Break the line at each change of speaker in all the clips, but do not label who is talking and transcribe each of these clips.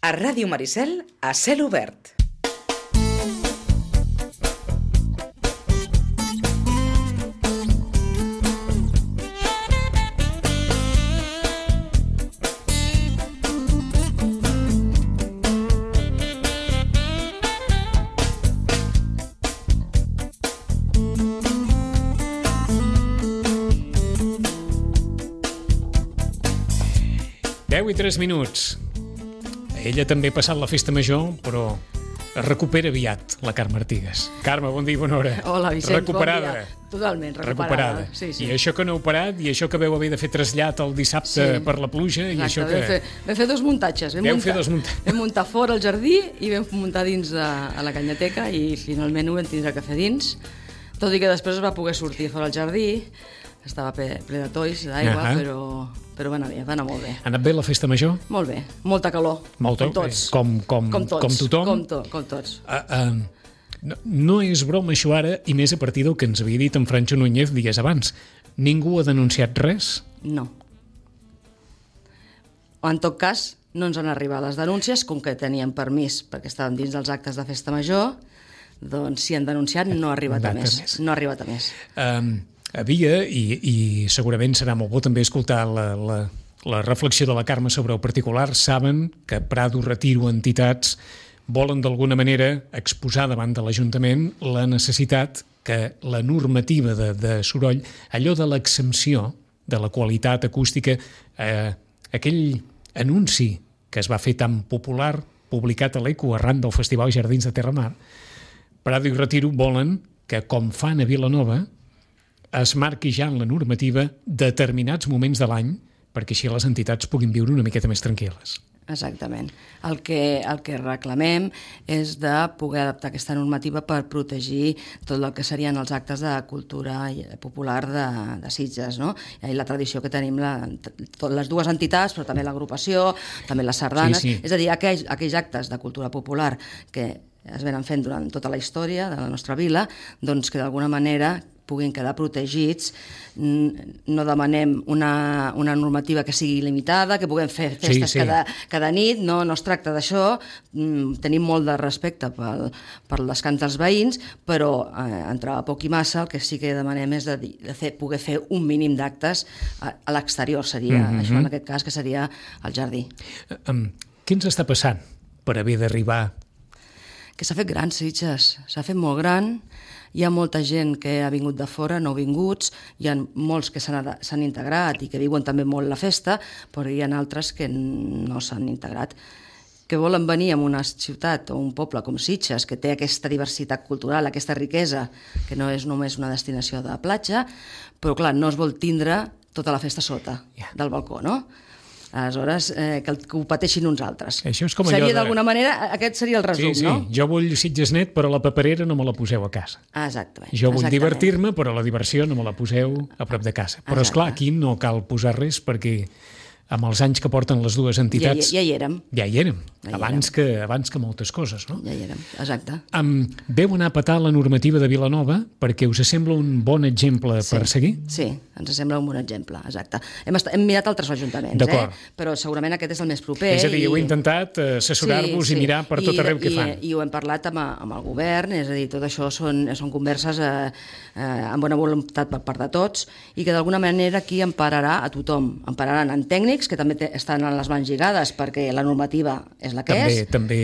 A Ràdio Maricel, a cel obert.
I 3 minuts. Ella també ha passat la festa major, però es recupera aviat, la Carme Artigas. Carme, bon dia i bona hora.
Hola, Vicent,
recuperada.
Bon dia. Totalment recuperada. Sí.
I això que no heu parat, i això que veu haver de fer trasllat el dissabte per la pluja, i això que...
Vam fer dos muntatges. Vam muntar fora al jardí i vam muntar dins a la canyateca i finalment ho vam tindre que fer dins, tot i que després es va poder sortir fora al jardí. Estava ple de tois, d'aigua, però va anar bé, va anar molt bé.
Ha anat bé la festa major?
Molt bé, molta calor.
Molta,
com tots.
Com tothom?
Com tots.
No és broma això ara, i més a partir del que ens havia dit en Francho Núñez dies abans. Ningú ha denunciat res?
No. En tot cas, no ens han arribat les denúncies, com que tenien permís perquè estàvem dins dels actes de festa major, doncs si han denunciat no ha arribat a més. No ha arribat a més.
Havia, i segurament serà molt bo també escoltar la reflexió de la Carme sobre el particular, saben que Prado, Retiro, entitats volen d'alguna manera exposar davant de l'Ajuntament la necessitat que la normativa de soroll, allò de l'exempció de la qualitat acústica, aquell anunci que es va fer tan popular, publicat a l'Eco arran del Festival Jardins de Terramar, Prado i Retiro volen que, com fan a Vilanova, es marqui ja en la normativa determinats moments de l'any perquè així les entitats puguin viure una miqueta més tranquil·les.
Exactament. El que reclamem és de poder adaptar aquesta normativa per protegir tot el que serien els actes de cultura popular de Sitges, no? I la tradició que tenim les dues entitats, però també l'agrupació, també les sardanes. Sí. És a dir, aquells actes de cultura popular que es venen fent durant tota la història de la nostra vila, doncs que d'alguna manera puguin quedar protegits. No demanem una normativa que sigui limitada, que puguem fer festes cada nit, no es tracta d'això. Tenim molt de respecte per les cants dels veïns, però entre poc i massa el que sí que demanem és de poder fer un mínim d'actes a l'exterior, seria això en aquest cas, que seria el jardí.
Què ens està passant per haver d'arribar?
Que s'ha fet gran, Sitges, s'ha fet molt gran. Hi ha molta gent que ha vingut de fora, nouvinguts, hi ha molts que s'han integrat i que viuen també molt la festa, però hi ha altres que no s'han integrat, que volen venir a una ciutat o un poble com Sitges, que té aquesta diversitat cultural, aquesta riquesa, que no és només una destinació de platja, però clar, no es vol tindre tota la festa sota del balcó, no? Aleshores, que ho pateixin uns altres. Seria d'alguna manera, aquest seria el resum, no?
Jo vull Sitges net, però la paperera no me la poseu a casa.
Exactament.
Jo vull divertir-me, però la diversió no me la poseu a prop de casa. Però, esclar, aquí no cal posar res perquè amb els anys que porten les dues entitats...
Ja hi érem.
Ja hi érem, abans que moltes coses, no?
Ja hi érem, exacte.
Veu anar a petar la normativa de Vilanova perquè us sembla un bon exemple per seguir?
Sí, ens sembla un bon exemple, exacte. Hem mirat altres ajuntaments, però segurament aquest és el més proper.
És a dir, heu intentat assessorar-vos i mirar per tot arreu què fan.
I ho hem parlat amb el govern, és a dir, tot això són converses amb bona voluntat per part de tots i que d'alguna manera aquí empararà a tothom. Empararan en tècnics, que també estan a les mans lligades perquè la normativa és la que és.
També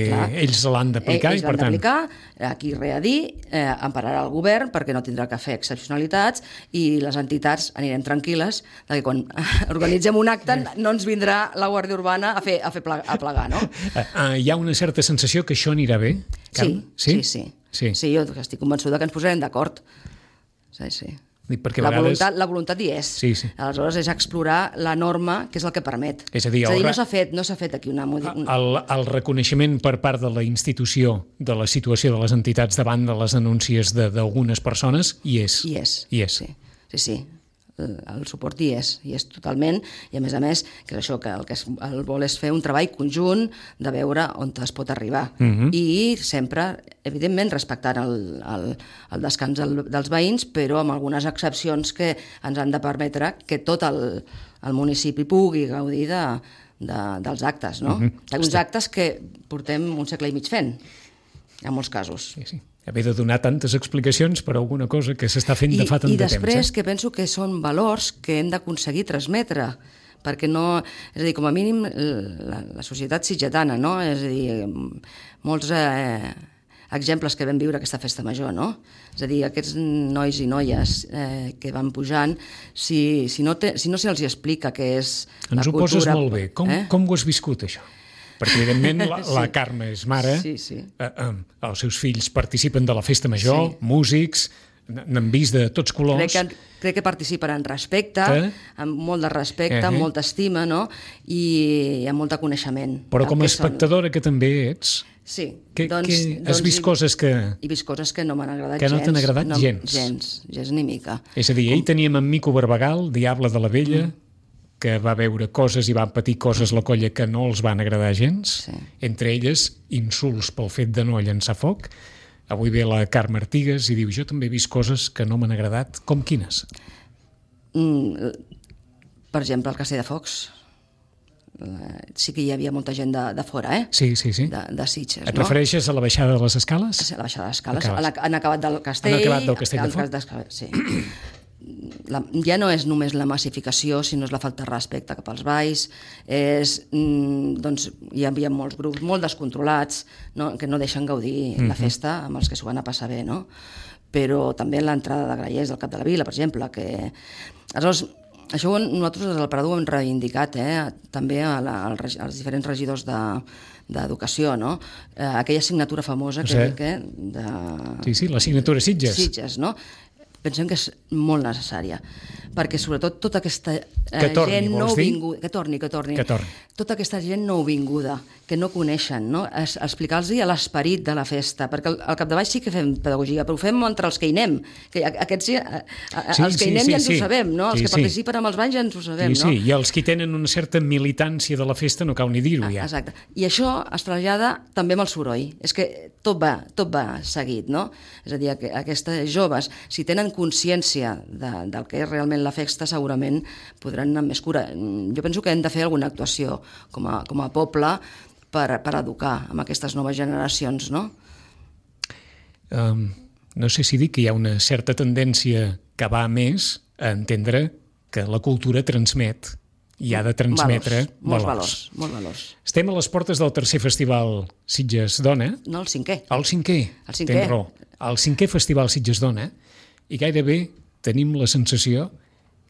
ells l'han d'aplicar.
Ells l'han d'aplicar, aquí res a dir, empararà el govern perquè no tindrà que fer excepcionalitats i les entitats anirem tranquil·les perquè quan organitzem un acte no ens vindrà la Guàrdia Urbana a plegar, no?
Hi ha una certa sensació que això anirà bé?
Sí, jo estic convençuda que ens posarem d'acord. Sí. La voluntat hi és. Aleshores és explorar la norma, que és el que permet.
És a dir,
no s'ha fet aquí una...
El reconeixement per part de la institució de la situació de les entitats davant de les denúncies d'algunes persones hi és.
Hi és. Sí. El suport hi és totalment, i a més que això, que el que es vol és fer un treball conjunt de veure on es pot arribar i sempre, evidentment, respectant el descans dels veïns, però amb algunes excepcions que ens han de permetre que tot el municipi pugui gaudir dels actes, no? Hi ha uns actes que portem un segle i mig fent, en molts casos.
Sí. Haver de donar tantes explicacions per a alguna cosa que s'està fent de fa tant de temps.
I després que penso que són valors que hem d'aconseguir transmetre, perquè no... És a dir, com a mínim, la societat sitgetana, no? És a dir, molts exemples que vam viure aquesta festa major, no? És a dir, aquests nois i noies que van pujant, si no se'ls explica què és la cultura...
Ens ho poses molt bé. Com ho has viscut, això? Perquè, evidentment, la Carme és mare, els seus fills participen de la festa major, músics, n'han vist de tots colors.
Crec que participen en respecte, amb molt de respecte, amb molta estima, no? I amb molt de coneixement.
Però com a espectadora que també ets, has vist coses que...
He vist coses que no m'han agradat gens.
Que no t'han agradat gens.
Gens ni mica.
És a dir, ahir teníem en Mico Barbagal, Diable de la Vella, que va veure coses i va patir coses la colla que no els van agradar gens, entre elles insults pel fet de no llançar foc. Avui ve la Carme Artigas i diu, jo també he vist coses que no m'han agradat. Com quines?
Per exemple, el Castell de Focs. Sí que hi havia molta gent de fora,
Sí.
De Sitges, no?
Et refereixes a la baixada de les escales?
A la baixada de les escales. Han acabat del castell.
Han acabat del Castell de Foc?
Sí. Ja no és només la massificació, sinó és la falta de respecte cap als balls, doncs hi havia molts grups molt descontrolats, no? Que no deixen gaudir la festa amb els que s'ho van a passar bé, no? Però també l'entrada de grallers del cap de la vila, per exemple, que... Aleshores, això nosaltres des del Parador ho hem reivindicat, també als diferents regidors d'educació, no? Aquella assignatura famosa que dic,
Sí, la assignatura Sitges.
Sitges, no? Pensem que és molt necessària, perquè sobretot tota aquesta gent nouvinguda... Que torni. Tota aquesta gent nouvinguda, que no coneixen, no? Explicar-los l'esperit de la festa, perquè al capdavall sí que fem pedagogia, però ho fem entre els que hi anem, que aquests els que hi anem ja ens ho sabem, no? Els que participen amb els banys ja ens ho sabem, no?
Sí, i els que tenen una certa militància de la festa no cal ni dir-ho, ja.
Exacte. I això es trasllada també amb el soroll. És que tot va seguit, no? És a dir, aquestes joves, si tenen consciència del que és realment la festa, segurament podran anar amb més cura. Jo penso que hem de fer alguna actuació com a poble per educar amb aquestes noves generacions, no?
No sé si dic que hi ha una certa tendència que va més a entendre que la cultura transmet i ha de transmetre
valors. Molts valors.
Estem a les portes del tercer festival Sitges Dona.
No, el cinquè.
El cinquè. Tens raó. El cinquè festival Sitges Dona, i gairebé tenim la sensació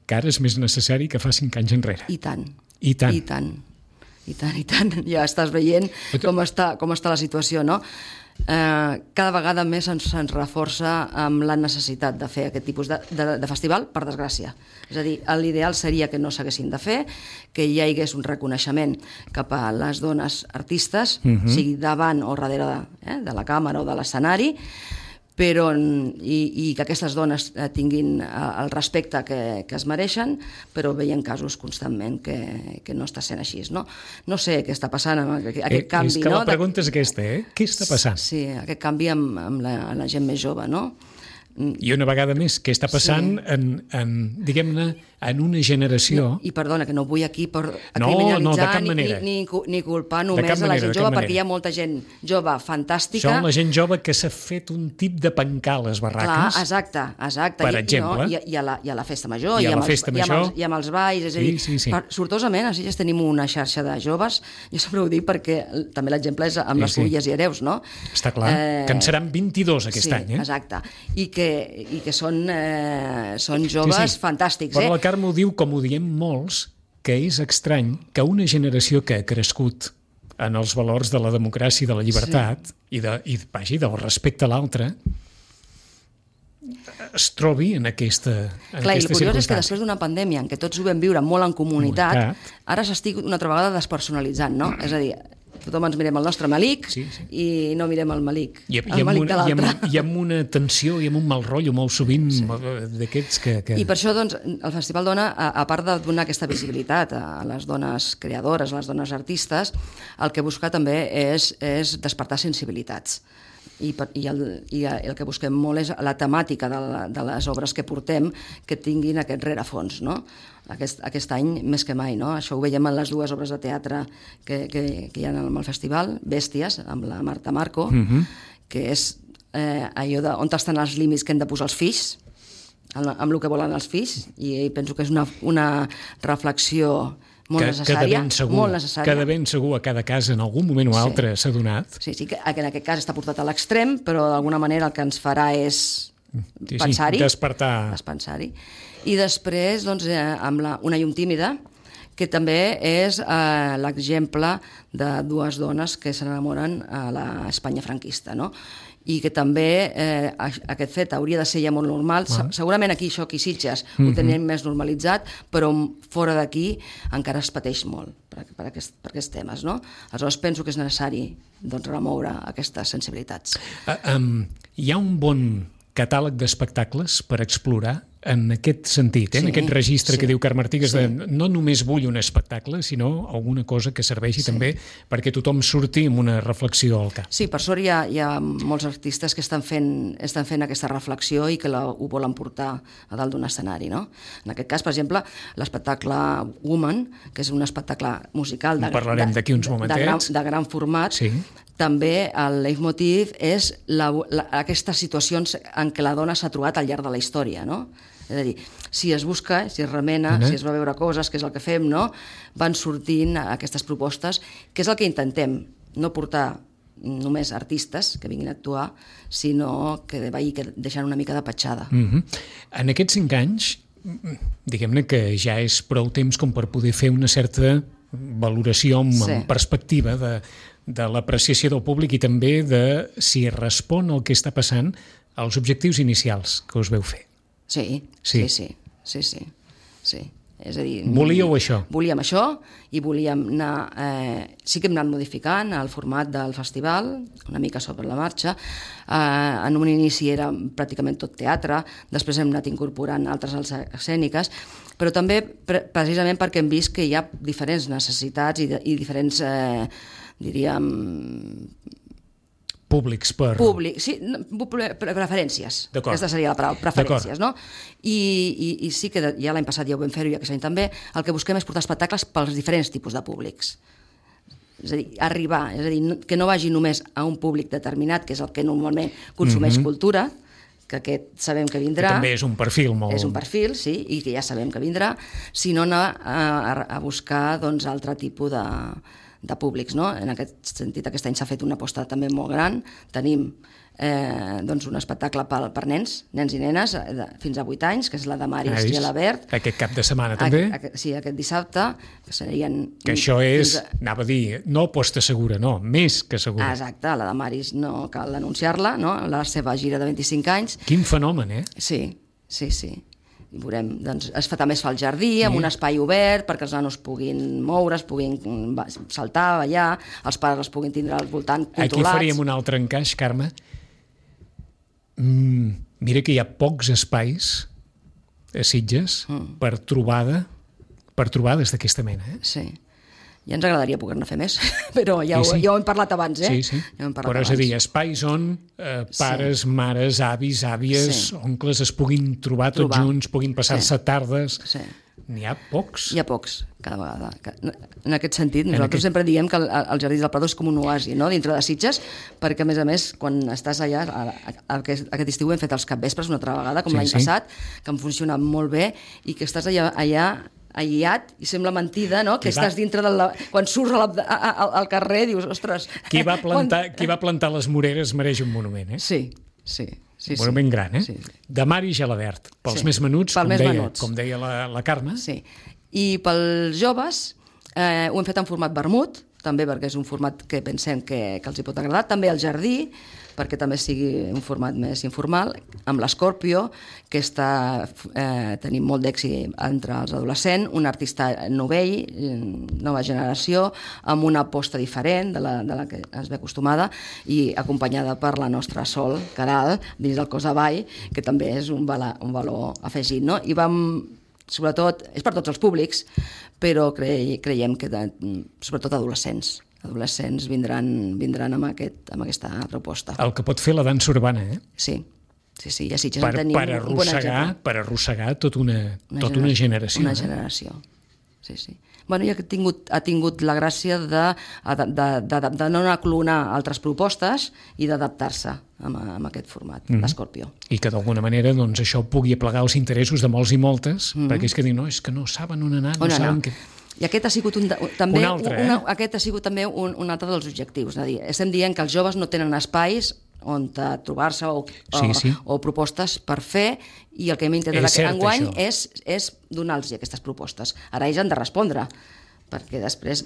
que ara és més necessari que fa 5 anys enrere.
I tant.
I tant.
I tant. I tant, i tant. Ja estàs veient com està la situació, no? Cada vegada més se'ns reforça amb la necessitat de fer aquest tipus de festival, per desgràcia. És a dir, l'ideal seria que no s'haguessin de fer, que hi hagués un reconeixement cap a les dones artistes, sigui davant o darrere de la càmera o de l'escenari, però i que aquestes dones tinguin el respecte que es mereixen, però veiem casos constantment que no està sent així, no? No sé què està passant amb aquest canvi.
És que la pregunta és aquesta, Què està passant?
Sí, aquest canvi amb la gent més jove, no?
I una vegada més, què està passant diguem-ne, en una generació...
I perdona, que no vull aquí per
criminalitzar
ni culpar només a la gent jove, perquè hi ha molta gent jove fantàstica.
Són la gent jove que s'ha fet un tip de pencar a les barraques.
Clar, exacte.
Per exemple.
I a la festa major,
i
amb els balls. És a dir, sortosament, a Sitges tenim una xarxa de joves, jo sempre ho dic perquè també l'exemple és amb les Fulles i Hereus, no?
Està clar, que en seran 22 aquest any,
Exacte. I que són joves fantàstics.
Però la Carme ho diu, com ho diem molts, que és estrany que una generació que ha crescut en els valors de la democràcia i de la llibertat i del respecte a l'altre es trobi en aquesta circumstància.
Clar, i el curiós és que després d'una pandèmia en què tots ho vam viure molt en comunitat, ara s'estic una altra vegada despersonalitzant, no? És a dir, tothom ens mirem el nostre malic i no mirem el malic de l'altre.
I amb una tensió i amb un mal rotllo molt sovint d'aquests que...
I per això, doncs, el Festival Dona, a part de donar aquesta visibilitat a les dones creadores, a les dones artistes, el que busca també és despertar sensibilitats. i el que busquem molt és la temàtica de les obres que portem que tinguin aquest rerefons, no? Aquest any més que mai, no? Això ho veiem en les dues obres de teatre que hi ha en el festival, Bèsties, amb la Marta Marco, que és allò on estan els límits que hem de posar els fills, amb el que volen els fills, i penso que és una reflexió molt necessària.
Que de ben segur a cada casa en algun moment o altre s'ha donat.
Sí, que en aquest cas està portat a l'extrem, però d'alguna manera el que ens farà és pensar-hi.
Despertar-hi.
I després, doncs, amb Una llum tímida, que també és l'exemple de dues dones que s'enamoren a l'Espanya franquista, no? I que també aquest fet hauria de ser ja molt normal. Segurament aquí això, aquí Sitges, ho tenim més normalitzat, però fora d'aquí encara es pateix molt per aquests temes, no? Aleshores penso que és necessari remoure aquestes sensibilitats.
Hi ha un bon catàleg d'espectacles per explorar en aquest sentit, en aquest registre que diu Carme Artigas, no només vull un espectacle, sinó alguna cosa que serveixi també perquè tothom surti amb una reflexió al cap.
Sí, per sort hi ha molts artistes que estan fent aquesta reflexió i que ho volen portar a dalt d'un escenari, no? En aquest cas, per exemple, l'espectacle Woman, que és un espectacle musical de gran format, també el leitmotiv és aquestes situacions en què la dona s'ha trobat al llarg de la història, no? És a dir, si es busca, si es remena, si es va veure coses, que és el que fem, no? Van sortint aquestes propostes, que és el que intentem, no portar només artistes que vinguin a actuar, sinó que deixant una mica de petjada.
En aquests 5 anys, diguem-ne que ja és prou temps com per poder fer una certa valoració amb perspectiva de l'apreciació del públic i també de si respon al que està passant als objectius inicials que us veu fer.
Sí. És a dir,
volíeu això?
Volíem això i volíem anar... sí que hem anat modificant el format del festival, una mica sobre la marxa. En un inici era pràcticament tot teatre, després hem anat incorporant altres escèniques, però també precisament perquè hem vist que hi ha diferents necessitats i diferents, diríem...
públics per...
preferències. Aquesta seria la paraula, preferències, no? I sí que ja l'any passat ja ho vam fer-ho i aquest any també, el que busquem és portar espectacles pels diferents tipus de públics. És a dir, que no vagi només a un públic determinat, que és el que normalment consumeix cultura, que aquest sabem que vindrà.
Que també és un perfil molt...
És un perfil, sí, i que ja sabem que vindrà, sinó anar a buscar altre tipus de públics, no? En aquest sentit, aquest any s'ha fet una aposta també molt gran. Tenim un espectacle per nens i nenes fins a 8 anys, que és la de Maris i l'Abert.
Aquest cap de setmana també?
Sí, aquest dissabte.
Que això és, anava a dir, no aposta segura, no, més que segura.
Exacte, la de Maris no cal anunciar-la, no? La seva gira de 25 anys.
Quin fenomen,
Sí. I veurem, també es fa al jardí, amb un espai obert perquè els nanos puguin moure's, puguin saltar, ballar, els pares els puguin tindre al voltant controlats.
Aquí faríem un altre encaix, Carme. Mira que hi ha pocs espais a Sitges per trobades d'aquesta mena.
Sí. Ja ens agradaria poder-ne fer més, però ja ho hem parlat abans,
Sí. Però és a dir, espais on pares, mares, avis, àvies, oncles es puguin trobar tots junts, puguin passar-se tardes. N'hi ha pocs.
Hi ha pocs, cada vegada. En aquest sentit, nosaltres sempre diem que el Jardí del Prador és com un oasi, no?, dintre de Sitges, perquè, a més, quan estàs allà, aquest estiu hem fet els capvespres una altra vegada, com l'any passat, que han funcionat molt bé, i que estàs allà aïllat, i sembla mentida, no?, que estàs dintre quan surts al carrer dius, ostres...
Qui va plantar les moreres mereix un monument,
Sí.
Un monument gran, De Mari i Gelabert, pels més menuts, com deia la Carme.
Sí, i pels joves ho hem fet en format vermut, també perquè és un format que pensem que els hi pot agradar, també al jardí, perquè també sigui un format més informal, amb l'Escorpio, que tenim molt d'èxit entre els adolescents, un artista novell, nova generació, amb una aposta diferent de la que ens ve acostumada, i acompanyada per la nostra Sol Caral, dins del Cos Avall, que també és un valor afegit, no? I sobretot, és per tots els públics, però creiem que sobretot adolescents adolescents vindran amb aquesta proposta.
El que pot fer la dansa urbana,
Sí, i a Sitges en tenim un bon exemple.
Per arrossegar tota una generació.
Una generació, sí. Bueno, i ha tingut la gràcia de no aclonar altres propostes i d'adaptar-se a aquest format, l'Escorpió.
I que d'alguna manera doncs, això pugui aplegar els interessos de molts i moltes, perquè és que diuen, no, és que no saben on anar, no saben què...
I aquest ha sigut aquest ha sigut també un altre dels objectius. Estem dient que els joves no tenen espais on trobar-se o propostes per fer, i el que hem intentat enguany és donar-los aquestes propostes. Ara ells han de respondre, perquè després,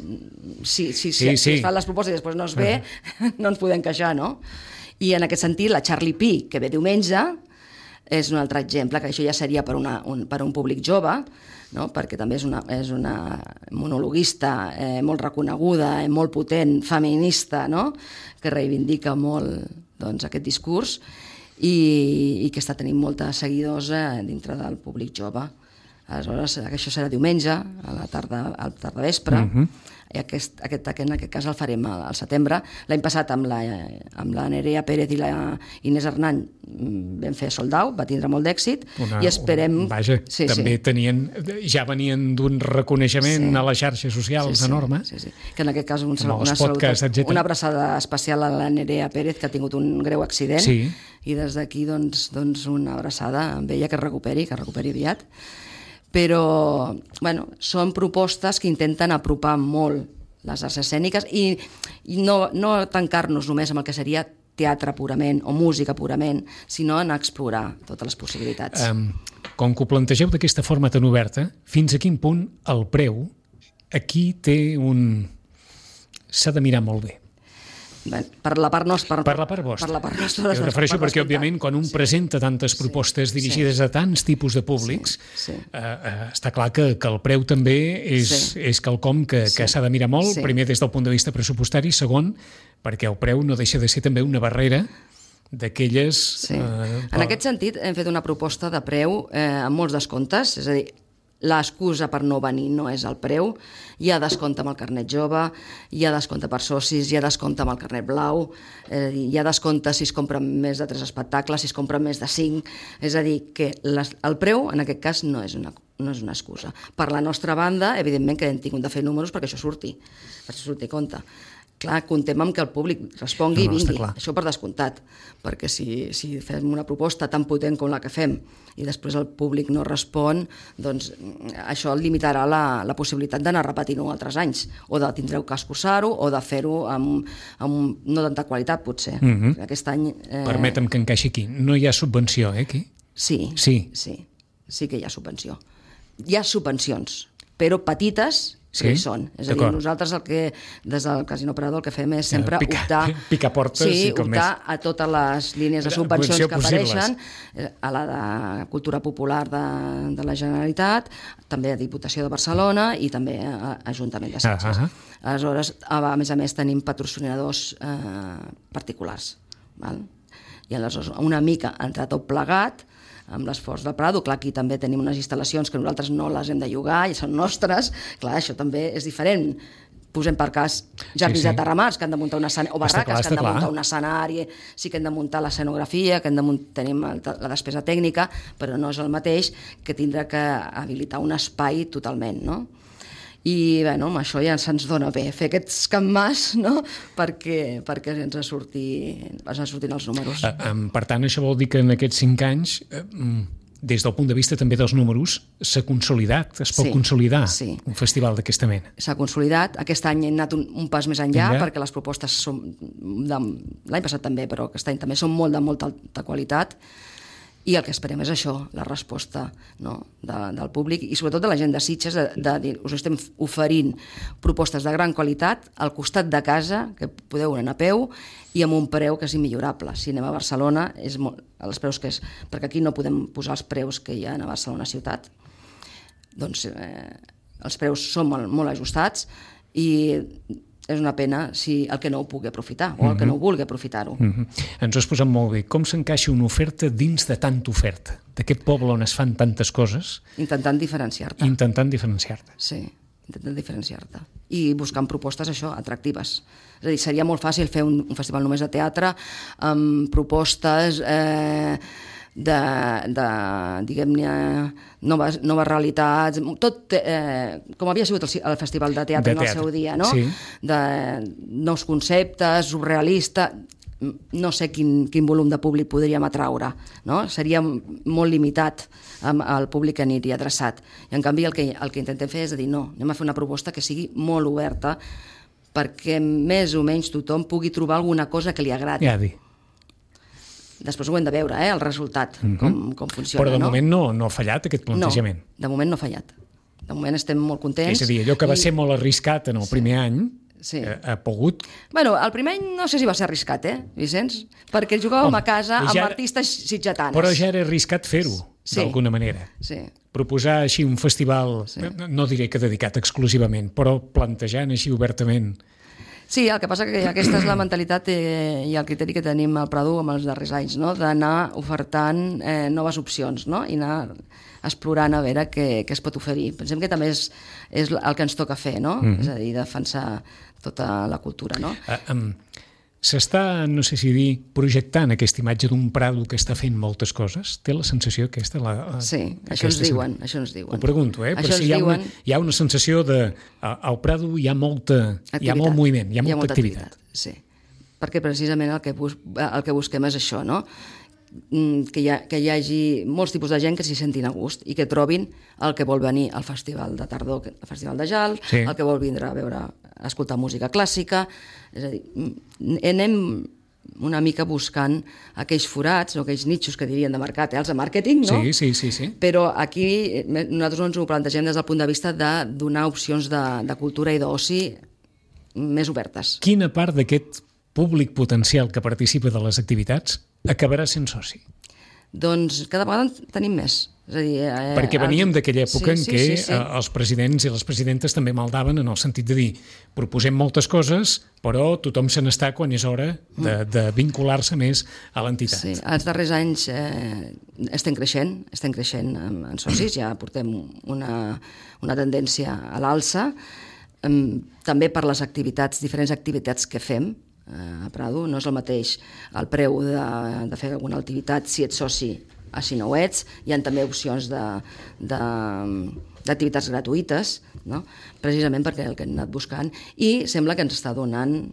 si es fan les propostes i després no es ve, no ens podem queixar, no? I en aquest sentit, la Charlie Pi, que ve diumenge, és un altre exemple, que això ja seria per un públic jove, no? Perquè també és una monologuista molt reconeguda, molt potent, feminista, no? Que reivindica molt aquest discurs i que està tenint molts seguidors dintre del públic jove. Aleshores, això serà diumenge, al tardavespre, i en aquest cas el farem al setembre. L'any passat amb la Nerea Pérez i la Inés Hernán vam fer sold out, va tindre molt d'èxit, i esperem...
Vaja, també ja venien d'un reconeixement a les xarxes socials enorme.
Sí. Que en aquest cas una abraçada especial a la Nerea Pérez, que ha tingut un greu accident, i des d'aquí una abraçada amb ella, que recuperi aviat. Però, són propostes que intenten apropar molt les arts escèniques i no tancar-nos només amb el que seria teatre purament o música purament, sinó en explorar totes les possibilitats.
Com que ho plantegeu d'aquesta forma tan oberta, fins a quin punt el preu aquí s'ha de mirar molt bé?
Per la part nostra.
Per la part vostra. Jo refereixo perquè, òbviament, quan un presenta tantes propostes dirigides a tants tipus de públics, està clar que el preu també és quelcom que s'ha de mirar molt, primer des del punt de vista pressupostari, segon, perquè el preu no deixa de ser també una barrera d'aquelles...
En aquest sentit, hem fet una proposta de preu amb molts descomptes, és a dir, l'excusa per no venir no és el preu, hi ha descompte amb el carnet jove, hi ha descompte per socis, hi ha descompte amb el carnet blau, hi ha descompte si es compren més de 3 espectacles, si es compren més de 5, és a dir, que el preu en aquest cas no és una excusa. Per la nostra banda, evidentment que hem tingut de fer números perquè això surti a compte. Clar, comptem amb que el públic respongui i vingui, això per descomptat, perquè si fem una proposta tan potent com la que fem i després el públic no respon, doncs això limitarà la possibilitat d'anar repetint-ho altres anys, o de tindreu que escurçar-ho, o de fer-ho amb no tanta qualitat, potser. Aquest any...
Permetem que encaixi aquí. No hi ha subvenció, aquí?
Sí que hi ha subvenció. Hi ha subvencions, però petites... hi són. És a dir, nosaltres des del Casino Parador el que fem és sempre
picar portes
optar a totes les línies de subvencions que apareixen, a la de Cultura Popular de la Generalitat, també a Diputació de Barcelona i també a Ajuntament de Sitges. Aleshores, a més tenim patrocinadors particulars. I aleshores una mica entre tot plegat, amb l'esforç del Prado. Clar, aquí també tenim unes instal·lacions que nosaltres no les hem de llogar i són nostres. Clar, això també és diferent. Posem per cas Jardins de Terramars, que han de muntar un escenari, o barraques, que han de muntar un escenari, sí que hem de muntar l'escenografia, que tenim la despesa tècnica, però no és el mateix que tindrà que habilitar un espai totalment, no? I amb això ja se'ns dona bé fer aquests campmàs, no? perquè ens surtin els números.
Per tant, això vol dir que en aquests 5 anys, des del punt de vista també dels números, s'ha consolidat, es pot consolidar un festival d'aquesta mena.
S'ha consolidat. Aquest any hem anat un pas més enllà, perquè les propostes són l'any passat també, però aquest any també són molt de molta alta qualitat. I el que esperem és això, la resposta del públic i sobretot de la gent de Sitges, de dir, us estem oferint propostes de gran qualitat al costat de casa, que podeu anar a peu, i amb un preu que és immillorable. Si anem a Barcelona, els preus que és, perquè aquí no podem posar els preus que hi ha a Barcelona ciutat, doncs els preus són molt ajustats i és una pena si el que no ho pugui aprofitar o el que no ho vulgui aprofitar-ho.
Ens ho has posat molt bé. Com s'encaixa una oferta dins de tanta oferta? D'aquest poble on es fan tantes coses?
Intentant diferenciar-te.
Intentant diferenciar-te.
Sí. intentes diferenciar-te. I buscant propostes, això, atractives. És a dir, seria molt fàcil fer un festival només de teatre amb propostes diguem-ne, noves realitats, tot com havia sigut el Festival de Teatre en el seu dia, no?
Sí.
De nous conceptes, surrealista, no sé quin volum de públic podríem atraure, no? Seria molt limitat al públic que aniria adreçat. I en canvi el que intentem fer és dir, no, anem a fer una proposta que sigui molt oberta perquè més o menys tothom pugui trobar alguna cosa que li agradi.
Ja dir.
Després ho hem de veure, el resultat, com funciona.
Però de moment no ha fallat aquest plantejament.
No, de moment no ha fallat. De moment estem molt contents.
És a dir, allò que va ser molt arriscat en el primer any, ha pogut...
Bueno, el primer any no sé si va ser arriscat, Vicenç? Perquè jugàvem a casa amb artistes sitgetanes.
Però ja era arriscat fer-ho, d'alguna manera.
Sí.
Proposar així un festival, no diré que dedicat exclusivament, però plantejant així obertament...
Sí, el que passa que aquesta és la mentalitat i el criteri que tenim al Prado amb els darrers anys, no? D'anar ofertant noves opcions, no? I anar explorant a veure què es pot oferir. Pensem que també és el que ens toca fer, no? És a dir, defensar tota la cultura, no?
S'està, no sé si dir, projectant aquesta imatge d'un Prado que està fent moltes coses? Té la sensació aquesta?
Sí, això ens diuen.
Ho pregunto, per si hi ha una sensació de... Al Prado hi ha molt moviment, hi ha molta activitat.
Sí, perquè precisament el que busquem és això, no? Que hi hagi molts tipus de gent que s'hi sentin a gust i que trobin el que vol venir al Festival de Tardor, al Festival de Jal, el que vol vindre a escoltar música clàssica. És a dir, anem una mica buscant aquells forats o aquells nichos que dirien de mercat, els de màrqueting, no?
Sí.
Però aquí nosaltres ens ho plantegem des del punt de vista de donar opcions de cultura i d'oci més obertes.
Quina part d'aquest públic potencial que participa de les activitats acabarà sent soci?
Doncs cada vegada en tenim més. És a dir,
perquè veníem d'aquella època en què els presidents i les presidentes també maldaven en el sentit de dir proposem moltes coses, però tothom se n'està quan és hora de vincular-se més a l'entitat.
Sí, els darrers anys estem creixent en socis, ja portem una tendència a l'alça, també per les diferents activitats que fem a Prado. No és el mateix el preu de fer alguna activitat si ets soci a si no ho ets. Hi ha també opcions d'activitats gratuïtes, no? Precisament perquè el que hem anat buscant, i sembla que ens està donant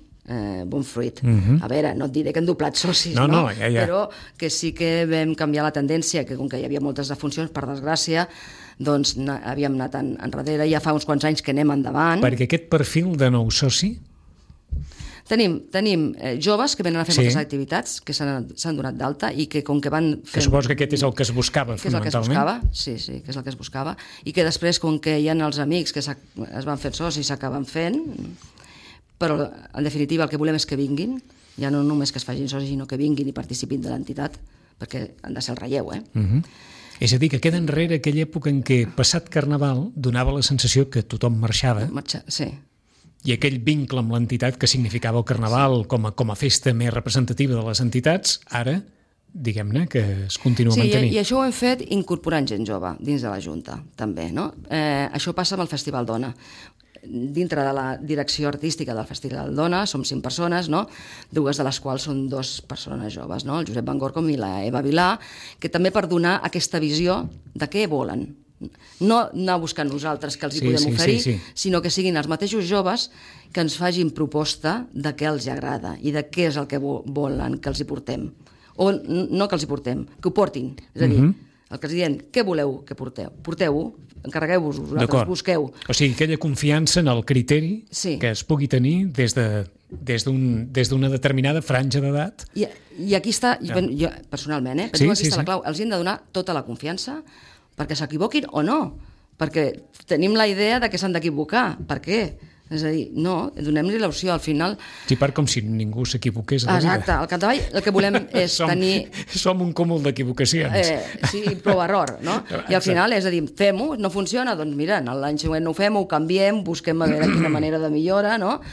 bon fruit. A veure, no et diré que hem doblat socis,
no?
Però que sí que vam canviar la tendència, que com que hi havia moltes defuncions, per desgràcia, doncs havíem anat enrere, ja fa uns quants anys que anem endavant.
Perquè aquest perfil de nou soci...
Tenim joves que venen a fer moltes activitats, que s'han donat d'alta i que com que van fent...
Que suposo que aquest és el que es buscava, fonamentalment.
Sí, que és el que es buscava. I que després, com que hi ha els amics que es van fer socis i s'acaben fent, però en definitiva el que volem és que vinguin, ja no només que es facin socis, sinó que vinguin i participin de l'entitat, perquè han de ser el relleu,
És a dir, que queda enrere aquella època en què, passat Carnaval, donava la sensació que tothom marxava.
Sí.
I aquell vincle amb l'entitat que significava el Carnaval com a festa més representativa de les entitats, ara, diguem-ne, que es continua mantenint.
I això ho hem fet incorporant gent jove dins de la Junta, també, no? Això passa amb el Festival Dona. Dintre de la direcció artística del Festival Dona som 5 persones, no? 2 de les quals són 2 persones joves, no? El Josep Van Gorcom i la Eva Vilà, que també per donar aquesta visió de què volen. No anar buscant nosaltres que els hi podem oferir, sinó que siguin els mateixos joves que ens facin proposta de què els agrada i de què és el que volen que els hi portem. O no que els hi portem, que ho portin. És a dir, el que els diem, què voleu que porteu? Porteu-ho, encarregueu-vos, vosaltres busqueu.
O sigui, aquella confiança en el criteri que es pugui tenir des d'una determinada franja d'edat.
I aquí està, jo personalment, penso que aquí està la clau. Els hem de donar tota la confiança perquè s'equivoquin o no, perquè tenim la idea de que s'han d'equivocar. Per què? És a dir, no, donem-li l'opció al final.
Sí, com si ningú s'equivoqués a la vida.
Exacte, al capdavall el que volem és tenir...
Som un cúmul d'equivocacions.
Sí, prova-error, no? I al final és a dir, fem-ho, no funciona, doncs mira, l'any següent no ho fem, ho canviem, busquem a veure quina manera de millora, no?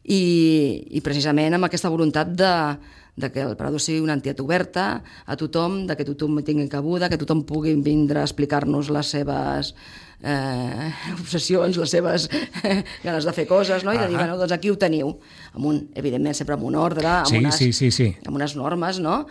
i precisament amb aquesta voluntat de que el Prado sigui una entitat oberta a tothom, de que tothom tingui cabuda, que tothom pugui vindre a explicar-nos les seves obsessions, les seves ganes de fer coses, no? I de dir, bueno, doncs aquí ho teniu, evidentment sempre amb un ordre, amb unes normes, no?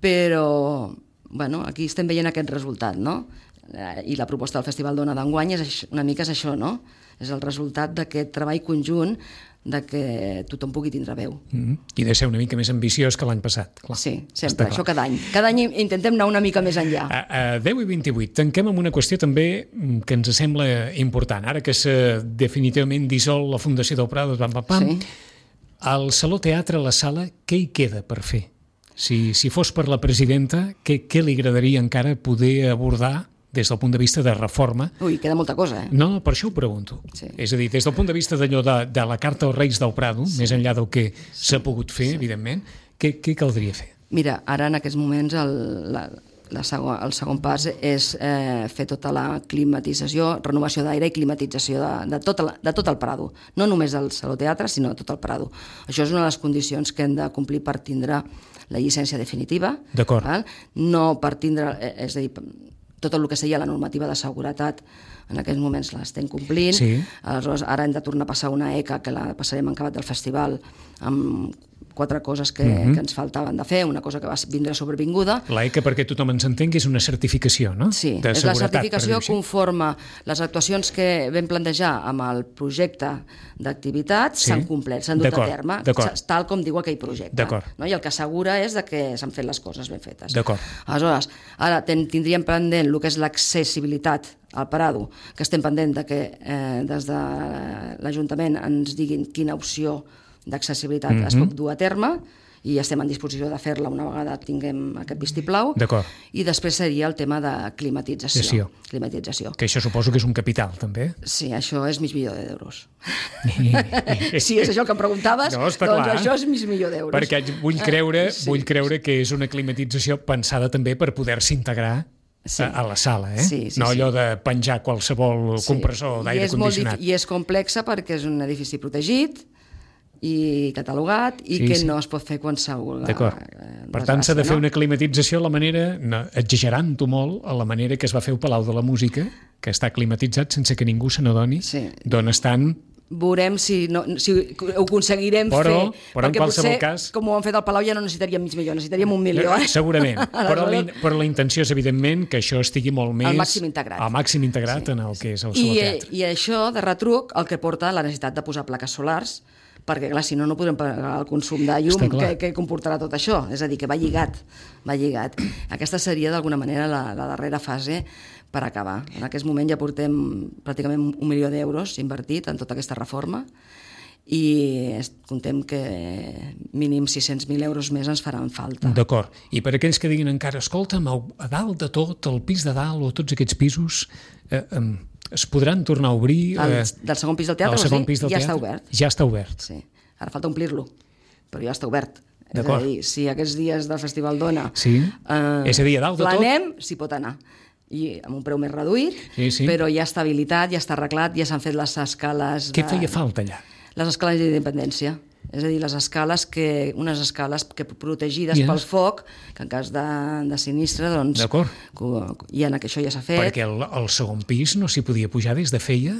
Però bueno, aquí estem veient aquest resultat, no? I la proposta del Festival Dona d'enguany una mica és això, no? És el resultat d'aquest treball conjunt de que tothom pugui tindre veu.
I de ser una mica més ambiciós que l'any passat. Clar.
Sí, sempre, això cada any. Cada any intentem anar una mica més enllà.
A 10 i 28, tanquem amb una qüestió també que ens sembla important. Ara que s'ha definitivament dissol la Fundació del Prado, al Saló Teatre, la sala, què hi queda per fer? Si fos per la presidenta, què li agradaria encara poder abordar des del punt de vista de reforma?
Ui, queda molta cosa,
No, per això ho pregunto. Sí. És a dir, des del punt de vista d'allò de la Carta als Reis del Prado, més enllà del que s'ha pogut fer, evidentment, què caldria fer?
Mira, ara en aquests moments el segon pas és fer tota la climatització, renovació d'aire i climatització de tot el Prado. No només del Saló Teatre, sinó de tot el Prado. Això és una de les condicions que hem de complir per tindre la llicència definitiva.
D'acord.
No per tindre, és a dir, tot el que seria la normativa de seguretat en aquests moments l'estem complint. Aleshores, ara hem de tornar a passar una ECA, que la passarem en acabat del festival, amb 4 coses que ens faltaven de fer, una cosa que va vindre sobrevinguda.
La ECA, perquè tothom ens entengui, és una certificació, no?
Sí, és la certificació conforme les actuacions que vam plantejar amb el projecte d'activitats s'han complert, s'han dut a terme, tal com diu aquell projecte. I el que assegura és que s'han fet les coses ben fetes. Aleshores, ara tindríem pendent el que és l'accessibilitat al Prado, que estem pendent que des de l'Ajuntament ens diguin quina opció d'accessibilitat es pot dur a terme, i estem en disposició de fer-la una vegada tinguem aquest vistiplau. I després seria el tema de climatització.
Que això suposo que és un capital, també.
Sí, això és mig milió d'euros. Si és això que em preguntaves, doncs això és mig milió d'euros.
Perquè vull creure que és una climatització pensada també per poder-se integrar a la sala, no allò de penjar qualsevol compressor d'aire condicionat.
I és complexa perquè és un edifici protegit i catalogat i que no es pot fer qualsevol.
Per tant, s'ha de fer una climatització a la manera, exagerant-ho molt, a la manera que es va fer el Palau de la Música, que està climatitzat sense que ningú se n'adoni d'on estan.
Veurem si ho aconseguirem fer, perquè potser, com ho han fet al Palau, ja no necessitaríem mig milió, necessitaríem 1 milió.
Segurament, però la intenció és, evidentment, que això estigui molt més
al màxim integrat
en el que és el Saló Teatre.
I això, de retruc, el que porta la necessitat de posar plaques solars, perquè, clar, si no podrem pagar el consum de llum que comportarà tot això. És a dir, que va lligat. Aquesta seria, d'alguna manera, la darrera fase per acabar. En aquest moment ja portem pràcticament 1 milió d'euros invertit en tota aquesta reforma i contem que mínim 600.000 euros més ens faran falta.
D'acord. I per aquells que diguin encara, escolta'm, a dalt de tot, el pis de dalt o tots aquests pisos, es podran tornar a obrir?
Del segon pis del teatre, ja està obert.
Ja està obert.
Sí. Ara falta omplir-lo, però ja està obert. És a dir, si aquests dies del Festival Dona planem, s'hi pot anar. I amb un preu més reduït, però hi ha estabilitat, ja està arreglat, ja s'han fet les escales...
Què feia falta allà?
Les escales d'independència. És a dir, unes escales protegides pel foc, que en cas de sinistre, doncs... això ja s'ha fet.
Perquè al segon pis no s'hi podia pujar des de feia?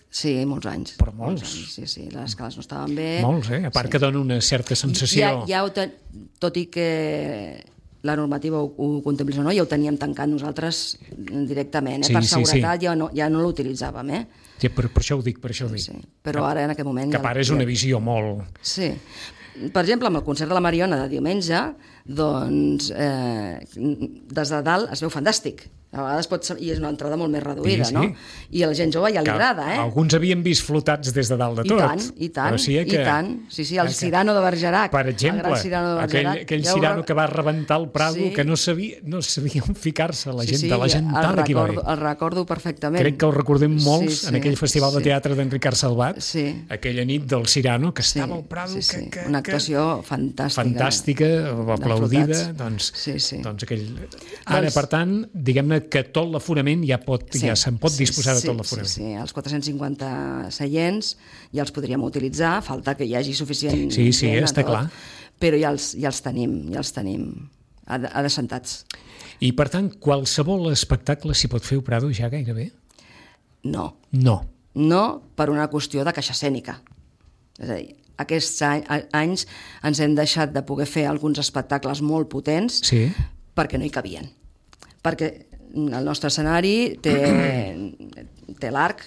Sí, molts anys.
Però molts.
Sí, les escales no estaven bé.
Molts, a part que dona una certa sensació...
Tot i que la normativa ho contemplis o no, ja ho teníem tancat nosaltres directament. Per seguretat ja no l'utilitzàvem,
Sí, per això ho dic.
Però ara, en aquest moment...
Que a part és una visió molt...
Sí. Per exemple, amb el concert de la Mariona de diumenge, doncs, des de dalt es veu fantàstic. A vegades i és una entrada molt més reduïda, no? I a la gent jove ja li agrada,
Alguns havien vist flotats des de dalt de tot.
I tant. Sí, el Cirano de Bergerac.
Per exemple, aquell Cirano que va rebentar el Prado, que no sabia on ficar-se la gent de la gentada que hi va haver.
El recordo perfectament.
Crec que el recordem molts en aquell festival de teatre d'en Ricard Salvat, aquella nit del Cirano, que estava al Prado.
Una actuació fantàstica.
Fantàstica, aplaudida,
Sí.
doncs aquell... Ara, per tant, diguem-ne que tot l'aforament ja se'n pot disposar de tot l'aforament.
Sí, els 450 seients ja els podríem utilitzar, falta que hi hagi suficient...
Sí, està clar.
Però ja els tenim adassentats.
I, per tant, qualsevol espectacle s'hi pot fer a Prado ja gairebé?
No. No, per una qüestió de caixa escènica. És a dir, aquests anys ens hem deixat de poder fer alguns espectacles molt potents perquè no hi cabien. Perquè el nostre escenari té l'arc,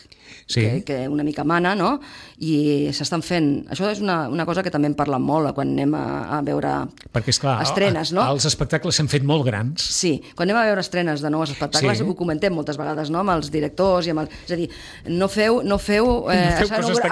que una mica mana, no? I s'estan fent... Això és una cosa que també en parlen molt quan anem a veure estrenes, no?
Els espectacles s'han fet molt grans.
Sí, quan anem a veure estrenes de nous espectacles ho comentem moltes vegades, no? Amb els directors i amb és a dir, no feu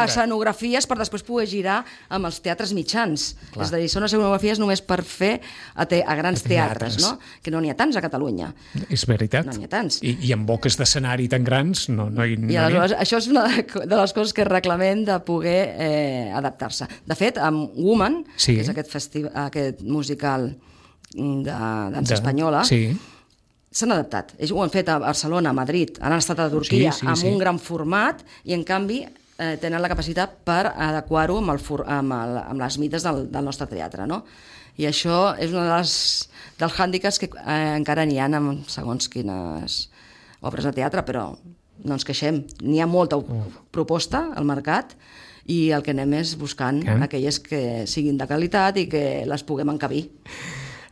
escenografies per després poder girar amb els teatres mitjans. Clar. És a dir, són escenografies només per fer a grans teatres, no? Que no n'hi ha tants a Catalunya.
És veritat.
No n'hi ha tants.
I amb boques d'escenari tan grans no hi ha.
Això és una de les coses que reclamem de poder adaptar-se. De fet, amb Woman, que és aquest musical de dansa espanyola, s'han adaptat. Ho han fet a Barcelona, a Madrid, han estat a Turquia amb un gran format i, en canvi, tenen la capacitat per adequar-ho amb les mides del nostre teatre, no? I això és un dels hàndicaps que encara n'hi ha amb segons quines obres de teatre, però no ens queixem. N'hi ha molta proposta al mercat i el que anem és buscant aquelles que siguin de qualitat i que les puguem encabir.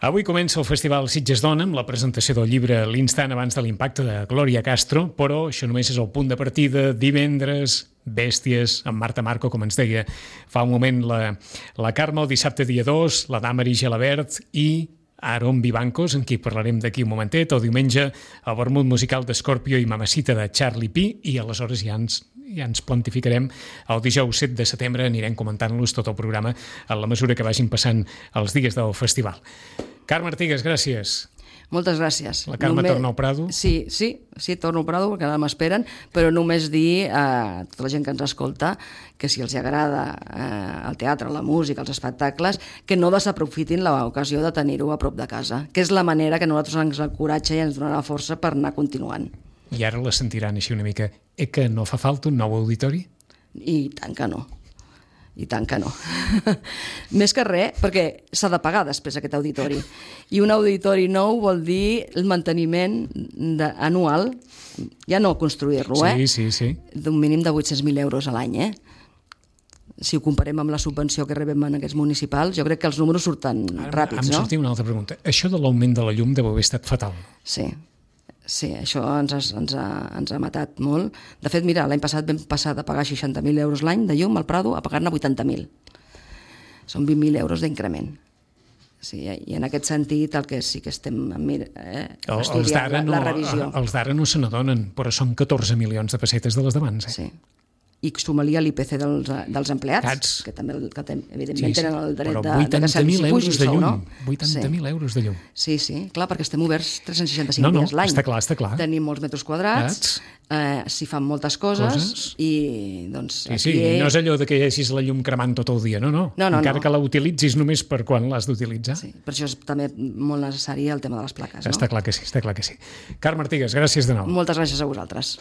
Avui comença el Festival Sitges Dona amb la presentació del llibre L'instant abans de l'impacte de Glòria Castro, però això només és el punt de partida. Divendres, Bèsties, amb Marta Marco, com ens deia fa un moment la Carme, el dissabte dia 2, la Damaris Gelabert i Aaron Vivancos, en qui parlarem d'aquí un momentet, el diumenge el vermut musical d'Escorpio i Mamacita de Charlie P, i aleshores ja ens plantificarem el dijous 7 de setembre, anirem comentant-los tot el programa a la mesura que vagin passant els dies del festival. Carme Artigas, gràcies.
Moltes gràcies.
La Carme torna al Prado?
Sí, torno al Prado perquè ara m'esperen, però només dir a tota la gent que ens escolta que si els agrada el teatre, la música, els espectacles, que no desaprofitin l'ocasió de tenir-ho a prop de casa, que és la manera que nosaltres ens encoratja i ens donarà força per anar continuant.
I ara la sentiran així una mica. Que no fa falta un nou auditori?
I tant que no. I tant que no. Més que res, perquè s'ha de pagar després aquest auditori. I un auditori nou vol dir el manteniment anual, ja no construir-lo, d'un mínim de 800.000 euros a l'any, Si ho comparem amb la subvenció que rebem en aquests municipals, jo crec que els números surten ràpids, no?
Em sortia una altra pregunta. Això de l'augment de la llum deu haver estat fatal.
Sí, això ens ha matat molt. De fet, mira, l'any passat vam passar de pagar 60.000 euros l'any de llum al Prado a pagar-ne 80.000. Són 20.000 euros d'increment. Sí, i en aquest sentit el que sí que estem estudiant la revisió.
Els d'ara no se n'adonen, però són 14 milions de pessetes de les d'abans.
Sí. I sumaria l'IPC dels empleats, que també, evidentment, tenen el dret de que se li pugi el sou, no?
80.000 euros de llum.
Sí, clar, perquè estem oberts 365 dies l'any.
Està clar.
Tenim molts metres quadrats, s'hi fan moltes coses i, doncs...
Sí, no és allò que hi hagis la llum cremant tot el dia, no. Encara que la utilitzis només per quan l'has d'utilitzar.
Sí, per això és també molt necessari el tema de les plaques, no?
Està clar que sí. Carme Artigas, gràcies de nou.
Moltes gràcies a vosaltres.